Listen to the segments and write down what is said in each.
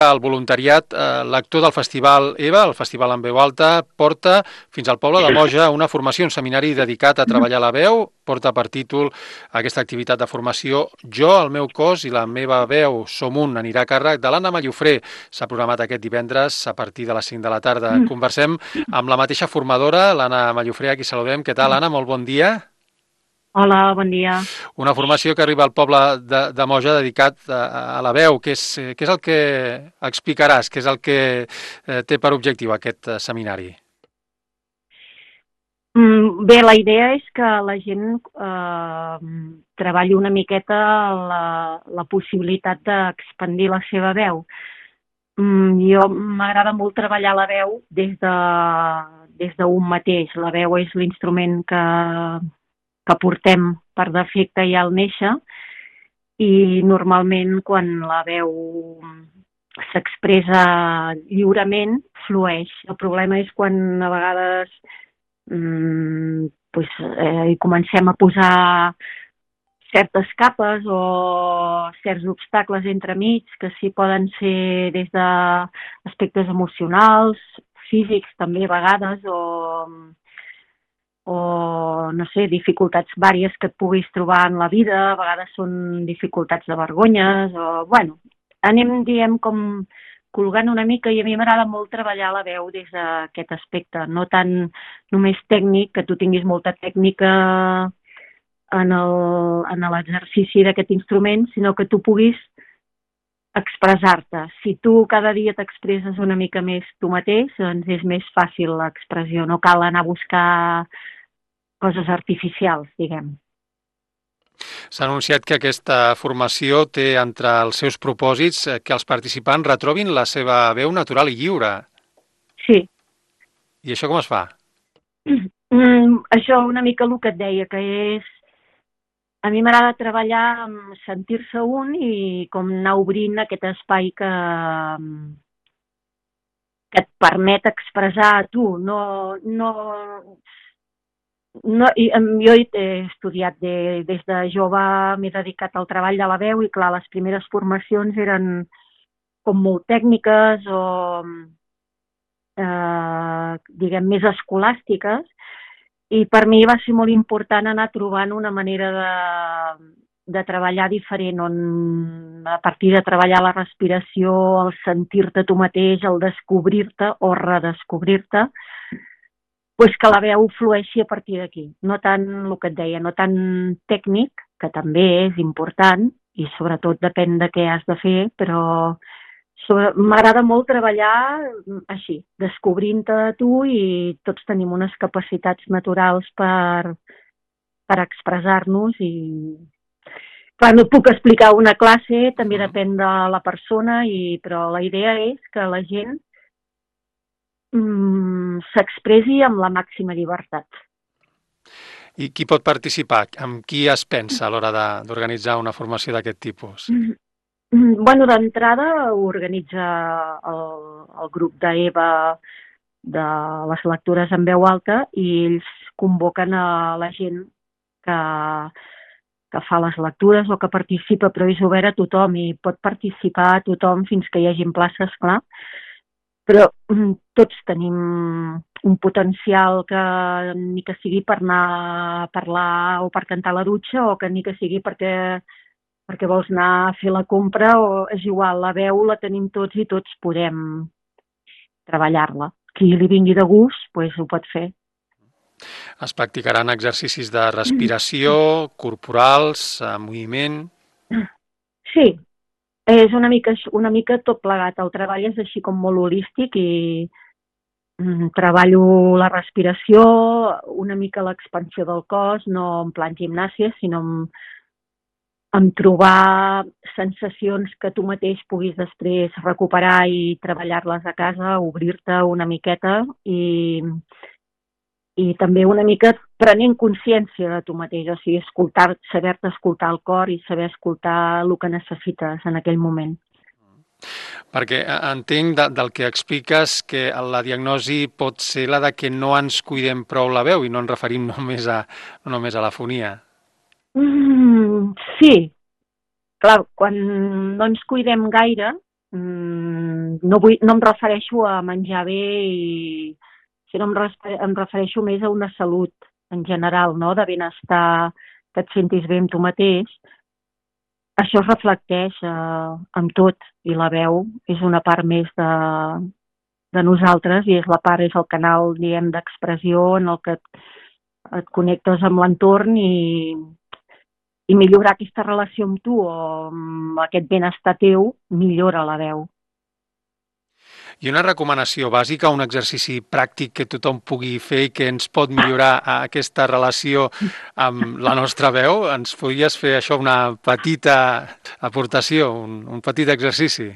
El voluntariat lector del Festival EVA, el Festival en Veu Alta, porta fins al poble de Moja una formació, un seminari dedicat a treballar la veu, porta per títol aquesta activitat de formació Jo, el meu cos i la meva veu som un, anirà a càrrec de l'Anna Mallofré. S'ha programat aquest divendres a partir de les 5 de la tarda. Conversem amb la mateixa formadora, l'Anna Mallofré, a qui saludem. Què tal, Anna? Molt bon dia. Hola, bon dia. Una formació que arriba al poble de Moja dedicat a la veu. Què és el que explicaràs? Què és el que té per objectiu aquest seminari? Bé, la idea és que la gent treballi una miqueta la possibilitat d'expandir la seva veu. Jo m'agrada molt treballar la veu des d'un mateix. La veu és l'instrument que portem per defecte ja al néixer i normalment quan la veu s'expressa lliurement flueix. El problema és quan a vegades hi comencem a posar certes capes o certs obstacles entremig que sí poden ser des d'aspectes emocionals, físics també a vegades o no sé, dificultats vàries que et puguis trobar en la vida, a vegades són dificultats de vergonyes anem, diem, com colgant una mica i a mi m'agrada molt treballar la veu des d'aquest aspecte, no tant només tècnic, que tu tinguis molta tècnica en l'exercici d'aquest instrument, sinó que tu puguis expressar-te. Si tu cada dia t'expresses una mica més tu mateix, doncs és més fàcil l'expressió, no cal anar a buscar coses artificials, diguem. S'ha anunciat que aquesta formació té entre els seus propòsits que els participants retrobin la seva veu natural i lliure. Sí. I això com es fa? Això una mica el que et deia, que és... A mi m'agrada treballar amb sentir-se un i com anar obrint aquest espai que et permet expressar a tu. Jo he estudiat des de jove, m'he dedicat al treball de la veu i clar, les primeres formacions eren com molt tècniques o diguem més escolàstiques i per mi va ser molt important anar trobant una manera de treballar diferent on a partir de treballar la respiració, el sentir-te tu mateix, el descobrir-te o redescobrir-te, doncs que la veu flueixi a partir d'aquí. No tant el que et deia, no tant tècnic, que també és important i sobretot depèn de què has de fer, però m'agrada molt treballar així, descobrint-te tu i tots tenim unes capacitats naturals per expressar-nos i clar, no et puc explicar una classe, també depèn de la persona, però la idea és que la gent s'expressi amb la màxima llibertat. I qui pot participar? Amb qui es pensa a l'hora d'organitzar una formació d'aquest tipus? D'entrada ho organitza el grup d'EVA de les lectures en veu alta i ells convoquen a la gent que fa les lectures o que participa, però és obert a tothom i pot participar tothom fins que hi hagin places, clar. Però tots tenim un potencial que ni que sigui per anar a parlar o per cantar a la dutxa o que ni que sigui perquè vols anar a fer la compra o és igual, la veu la tenim tots i tots podem treballar-la. Qui li vingui de gust, doncs ho pot fer. Es practicaran exercicis de respiració, corporals, moviment... Sí, és una mica tot plegat. El treball és així com molt holístic i treballo la respiració, una mica l'expansió del cos, no en plan gimnàsia, sinó en trobar sensacions que tu mateix puguis després recuperar i treballar-les a casa, obrir-te una miqueta i també una mica prenent consciència de tu mateix, o sigui, saber-te escoltar el cor i saber escoltar el que necessites en aquell moment. Perquè entenc del que expliques que la diagnosi pot ser la de que no ens cuidem prou la veu i no ens referim només a la fonia. Sí, clar, quan no ens cuidem gaire no em refereixo a menjar bé, sinó em refereixo més a una salut en general, no? De benestar, que et sentis bé amb tu mateix. Això es reflecteix amb tot, i la veu és una part més de nosaltres i és el canal, diguem, d'expressió en el que et connectes amb l'entorn i millorar aquesta relació amb tu o amb aquest benestar teu millora la veu. I una recomanació bàsica, un exercici pràctic que tothom pugui fer i que ens pot millorar aquesta relació amb la nostra veu? Ens podries fer això una petita aportació, un petit exercici?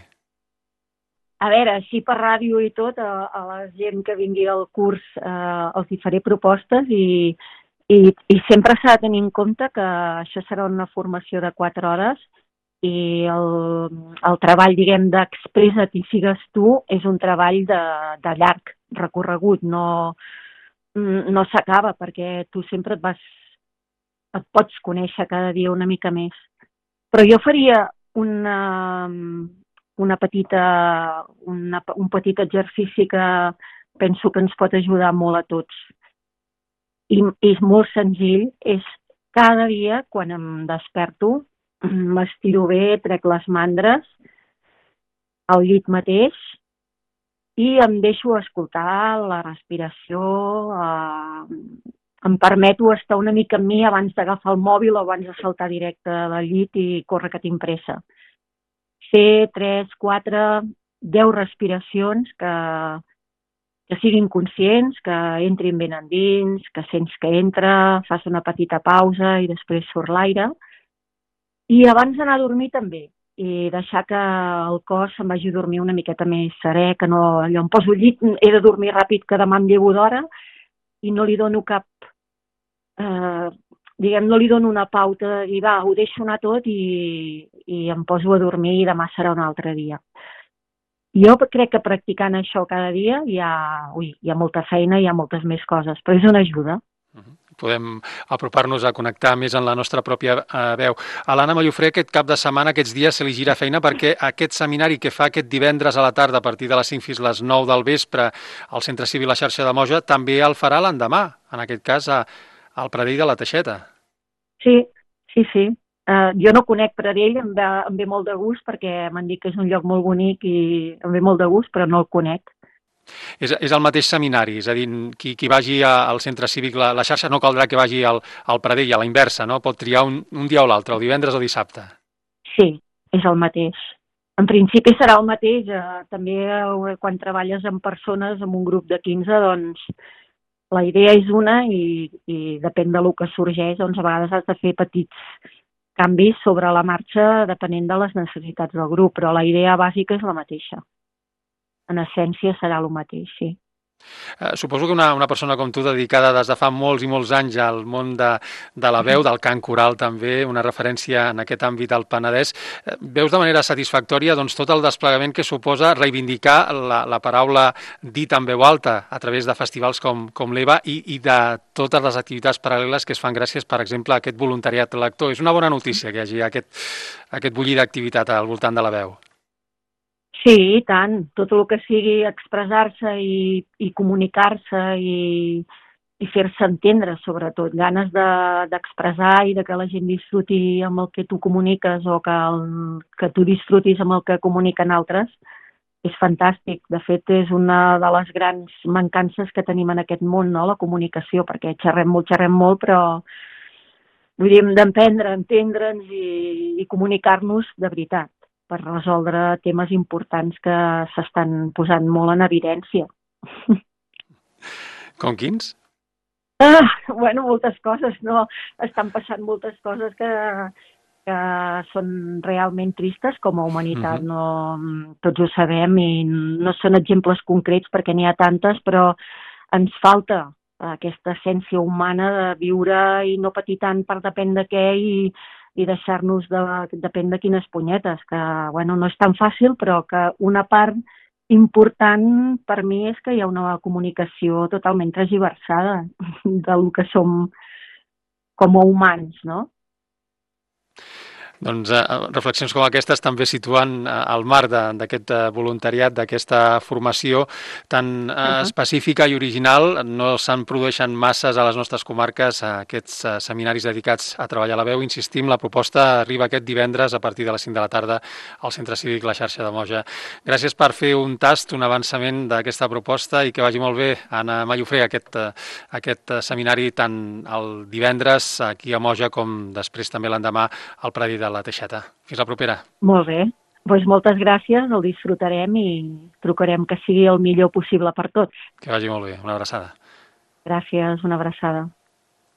A veure, així per ràdio i tot, a la gent que vingui al curs els hi faré propostes i sempre s'ha de tenir en compte que això serà una formació de 4 hores i el treball, diguem, d'expressa't i sigues tu és un treball de llarg recorregut, no s'acaba perquè tu sempre et pots conèixer cada dia una mica més. Però jo faria un petit exercici que penso que ens pot ajudar molt a tots. I és molt senzill, és cada dia quan em desperto, m'estiro bé, trec les mandres al llit mateix i em deixo escoltar la respiració, em permeto estar una mica amb mi abans d'agafar el mòbil o abans de saltar directe del llit i córrer que tinc pressa. Fer 3, 4, 10 respiracions que siguin conscients, que entrin ben endins, que sents que entra, fas una petita pausa i després surt l'aire. I abans d'anar a dormir també, i deixar que el cos se'n vagi a dormir una miqueta més serè, que no, allò em poso al llit, he de dormir ràpid, que demà em llevo d'hora, i no li dono cap, no li dono una pauta de dir, va, ho deixo anar tot i em poso a dormir i demà serà un altre dia. Jo crec que practicant això cada dia hi ha molta feina, hi ha moltes més coses, però és una ajuda. Podem apropar-nos a connectar més en la nostra pròpia veu. A l'Anna Mallofré aquest cap de setmana, aquests dies, se li gira feina perquè aquest seminari que fa aquest divendres a la tarda a partir de les 5 fins les 9 del vespre al Centre Cívic La Xarxa de Moja també el farà l'endemà, en aquest cas al Pradell de la Teixeta. Sí. Jo no conec Pradell, em ve molt de gust perquè m'han dit que és un lloc molt bonic i em ve molt de gust, però no el conec. És el mateix seminari, és a dir, qui vagi al Centre Cívic La Xarxa no caldrà que vagi al Pradell, a la inversa, no? Pot triar un dia o l'altre, o divendres o dissabte. Sí, és el mateix. En principi serà el mateix. També quan treballes amb persones, amb un grup de 15, doncs la idea és una i depèn del que sorgeix, doncs a vegades has de fer petits canvis sobre la marxa depenent de les necessitats del grup, però la idea bàsica és la mateixa. En essència serà el mateix, sí. Suposo que una persona com tu, dedicada des de fa molts i molts anys al món de la veu, del cant coral també, una referència en aquest àmbit al Penedès, veus de manera satisfactòria doncs, tot el desplegament que suposa reivindicar la paraula dita en veu alta a través de festivals com l'EVA i de totes les activitats paral·leles que es fan gràcies, per exemple, a aquest voluntariat lector. És una bona notícia que hi hagi aquest bullir d'activitat al voltant de la veu. Sí, i tant. Tot el que sigui expressar-se i comunicar-se i fer-se entendre, sobretot. Ganes d'expressar i de que la gent disfruti amb el que tu comuniques o que tu disfrutis amb el que comuniquen altres, és fantàstic. De fet, és una de les grans mancances que tenim en aquest món, no? La comunicació, perquè xerrem molt, però vull dir, hem d'aprendre a entendre'ns i comunicar-nos de veritat, per resoldre temes importants que s'estan posant molt en evidència. Com quins? Bueno, moltes coses, no? Estan passant moltes coses que són realment tristes com a humanitat, no? Tots ho sabem i no són exemples concrets perquè n'hi ha tantes, però ens falta aquesta essència humana de viure i no patir tant per depèn de què i deixar-nos depèn de quines punyetes, que bueno, no és tan fàcil, però que una part important per mi és que hi ha una comunicació totalment transversada del que som com a humans, no? Doncs reflexions com aquestes també situen al marc d'aquest voluntariat, d'aquesta formació tan específica i original. No se'n produeixen masses a les nostres comarques aquests seminaris dedicats a treballar la veu. Insistim, la proposta arriba aquest divendres a partir de les 5 de la tarda al Centre Cívic La Xarxa de Moja. Gràcies per fer un tast, un avançament d'aquesta proposta i que vagi molt bé, Anna Mallofré, aquest seminari tant el divendres aquí a Moja com després també l'endemà al Predi de la Teixeta. Fins la propera. Molt bé. Doncs moltes gràcies, el disfrutarem i trucarem que sigui el millor possible per tots. Que vagi molt bé. Una abraçada. Gràcies, una abraçada.